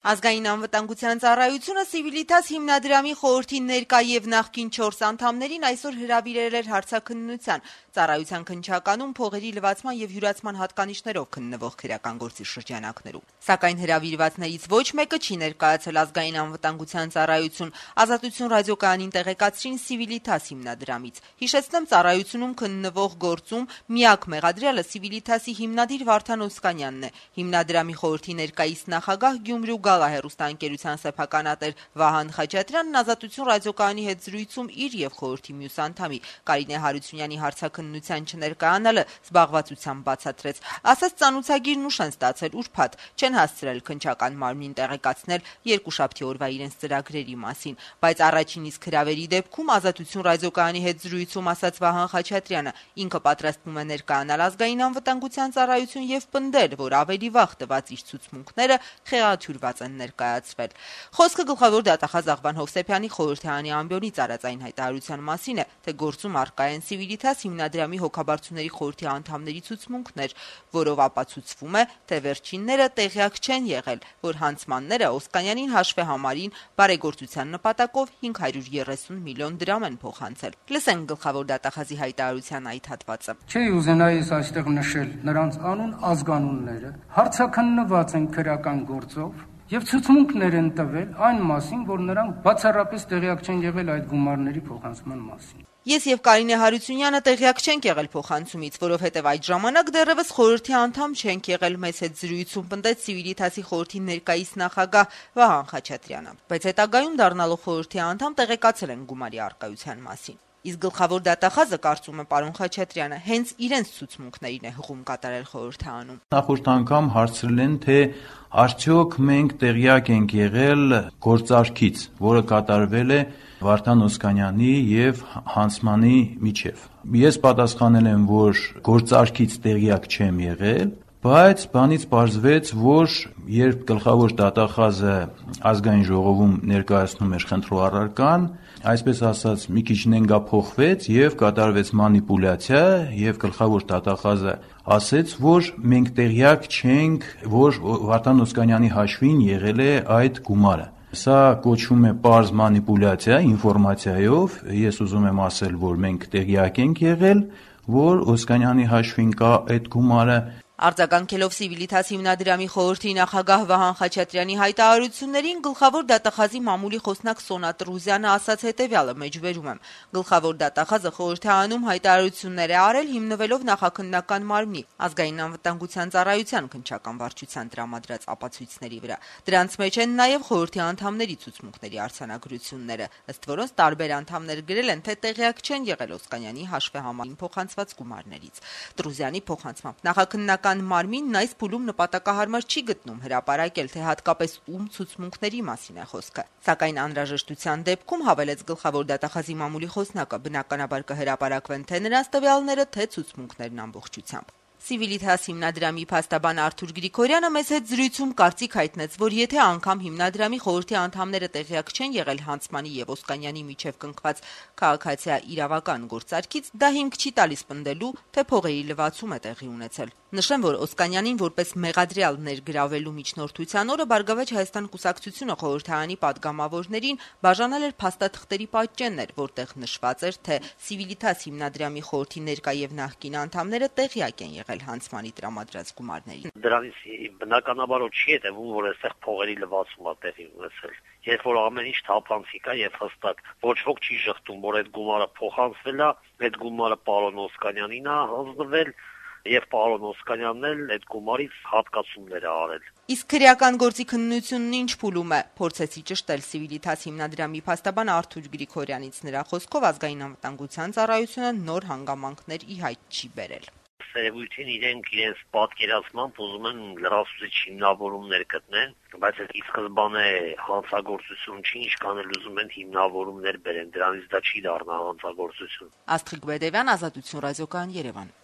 Ազգային անվտանգության ծառայությունը Civitas հիմնադրամի խորհրդի ներկա եւ նախկին 4 անդամներին այսօր հրավիրել էր հարցաքննության ծառայության քննչականում փողերի լվացման եւ յուրացման հատկանիշներով քննվող քրեական գործի շրջանակներում։ Սակայն հրավիրվածներից ոչ մեկը չի ներկայացել ազգային անվտանգության ծառայություն, Ազատություն ռադիոկայանին տեղեկացրին Civitas հիմնադրամից։ Հիշեցնեմ, ծառայությունում քննվող գործում միակ մեղադրյալը Civitas-ի հիմնադիր Վարդան Օսկանյանն է։ Հիմնադրամի խորհրդի ներկայիս նախագահ Գյումրու հեռուստաընկերության սեփականատեր Վահան Խաչատրյանն Ազատություն ռադիոկայանի հետ զրույցում իր եւ խորհրդի մյուս անդամի Կարինե Հարությունյանի հարցաքննության չներկայանալը զբաղվածությամբ բացատրեց։ Ասաց, ծանուցագիրն ուշ են ստացել ուրբաթ, չեն հասցրել քննչական մարմնին տեղեկացնել երկուշաբթի օրվա իրենց ծրագրերի մասին, բայց առաջին իսկ հրավերի դեպքում Ազատություն ռադիոկայանի հետ զրույցում ասաց Վահան Խաչատրյանը, ինքը պատրաստվում է ներկայանալ ազգային անվտանգության ծառայություն եւ պնդել, որ ավելի վաղ տված իր ցուցմունքները խեղաթյուրված են ներկայացվել։ Խոսքը գլխավոր դատախազ Աղվան Հովսեփյանի խորհրդարանի ամբիոնի ծառայային հայտարարության մասին է, թե գործում առկա են Civitas հիմնադրամի հոգաբարձուների խորհրդի անդամների ցուցմունքներ, որով ապացուցվում է, թե վերջինները տեղյակ չեն եղել, որ հանցմանները Օսկանյանին հաշվեհամարին բարեգործության նպատակով 530 միլիոն դրամ են փոխանցել։ Լսենք գլխավոր դատախազի հայտարարության այդ հատվածը։ Չի ուզենայի այստեղ նշել նրանց անուն ազգանունները, հարցաքննված են քրեական գործով եւ ցուցմունքներ են տվել այն մասին, որ նրանք բացառապես տեղյակ չեն եղել այդ գումարների փոխանցման մասին։ Ես եւ Կարինե Հարությունյանը տեղյակ չենք եղել փոխանցումից, որովհետեւ այդ ժամանակ դեռևս խորհրդի անդամ չենք եղել, մեզ հետ զրույցում պնդեց Civitas-ի խորհրդի ներկայիս նախագահ Վահան Խաչատրյանը, բայց հետագայում դառնալով խորհրդի անդամ տեղեկացել են գումարի առկայության մասին։ Իսկ գլխավոր դատախազը կարծում է պարոն Խաչատրյանը հենց իրենց ցուցմունքներին է հղում կատարել խորհրդանում։ Նախորդ անգամ հարցրել են, թե արդյոք մենք տեղյակ ենք եղել գործարքից, որը կատարվել է Վարդան Օսկանյանի եւ հանցմանի միջև։ Ես պատասխանել եմ, որ գործարքից տեղյակ չեմ եղել, բայց բանից պարզվեց, որ երբ գլխավոր դատախազը ազգային ժողովում ներկայացնում էր խնդրող առարկան, այսպես ասած, մի քիչ նենգափոխվեց եւ կատարվեց մանիպուլյացիա եւ գլխավոր դատախազը ասեց, որ մենք տեղյակ չենք, որ Վարդան Օսկանյանի հաշվին եղել է այդ գումարը։ Սա կոչվում է պարզ մանիպուլյացիա ինֆորմացիայով։ Ես ուզում եմ ասել, որ մենք տեղյակ ենք եղել, որ Օսկանյանի հաշվին կա այդ գումարը։ Արձագանքելով Civitas հիմնադրամի խորհրդի նախագահ Վահան Խաչատրյանի հայտարարություններին գլխավոր դատախազի մամուլի խոսնակ Սոնա Տրուզյանը ասաց հետևյալը, մեջբերում եմ. Գլխավոր դատախազը խորհրդարանում հայտարարություններ է արել հիմնվելով նախաքննական մարմնի ազգային անվտանգության ծառայության քննչական վարչության տրամադրած ապացույցների վրա։ Դրանց մեջ են նաև խորհրդի անդամների ցուցմունքների արձանագրությունները, ըստ որոնց տարբեր անդամներ գրել են, թե տեղյակ չեն եղել Օսկանյանի հաշվեհամարին փոխանցված գումարներից։ Տրուզյանի փոխանցմամբ նախաքննական մարմինն այս փուլում նպատակահարմար չի գտնում հրապարակել, թե հատկապես ում ցուցմունքների մասին է խոսքը։ Սակայն անհրաժեշտության դեպքում, հավելեց գլխավոր դատախազի մամուլի խոսնակը, բնականաբար կհրապարակվեն թե նրանց տվյալները, թե ցուցմունքներն ամբողջությամբ։ Civitas հիմնադրամի փաստաբան Արթուր Գրիգորյանը մեզ հետ զրույցում կարծիք հայտնեց, որ եթե անգամ հիմնադրամի խորհրդի անդամները տեղյակ չեն եղել հանցմանի եւ Օսկանյանի միջև կնքված քաղաքացիա իրավական գործարքից, դա հիմք չի տալիս պնդելու, թե փողերի լվացում է տեղի ունեցել։ Նշեմ, որ Օսկանյանին որպես մեղադրյալ ներգրավելու միջնորդության օրը Բարգավաճ Հայաստան կուսակցությունը խորհրդարանի падգամավորներին բաժանել էր փաստաթղթերի պատճեններ, որտեղ նշված էր, թե Civitas հիմնադրամի խորհրդի ներկա եւ նախկին անդամները տեղյակ են եղել հանցմանի տրամադրած գումարների։ Դրանից բնականաբար չի հետևում, որ այստեղ փողերի լվացում է տեղի ունեցել։ Երբ որ ամեն ինչ թափանցիկ է եւ հստակ, ոչ ոք չի շղթում, որ այդ գումարը փոխանցվել է, այդ գումարը պարոն Օսկանյանին է հանձնվել եւ պարոն Օսկանյանն էլ այդ գումարից հատկացումներ է արել։ Իսկ քրեական գործի քննությունն ինչ փուլում է, փորձեցի ճշտել Civitas հիմնադրամի փաստաբան Արթուր Գրիգորյանից։ Նրա խոսքով ազգային անվտանգության ծառայությունը նոր հանգամանքներ ի հայտ չի բերել։ Սերևույթին իրենց պատկերացմամբ ուզում են լրացուցիչ հիմնավորումներ գտնեն, բայց այդ ի սկզբանե հանցագործություն չի, ինչքան էլ ուզում են հիմնավորումներ բերեն, դրանից դա չի դառնա հանցագործություն։ Աստղիկ Բեդևյան, Ազատություն ռադիոկայան, Երևան։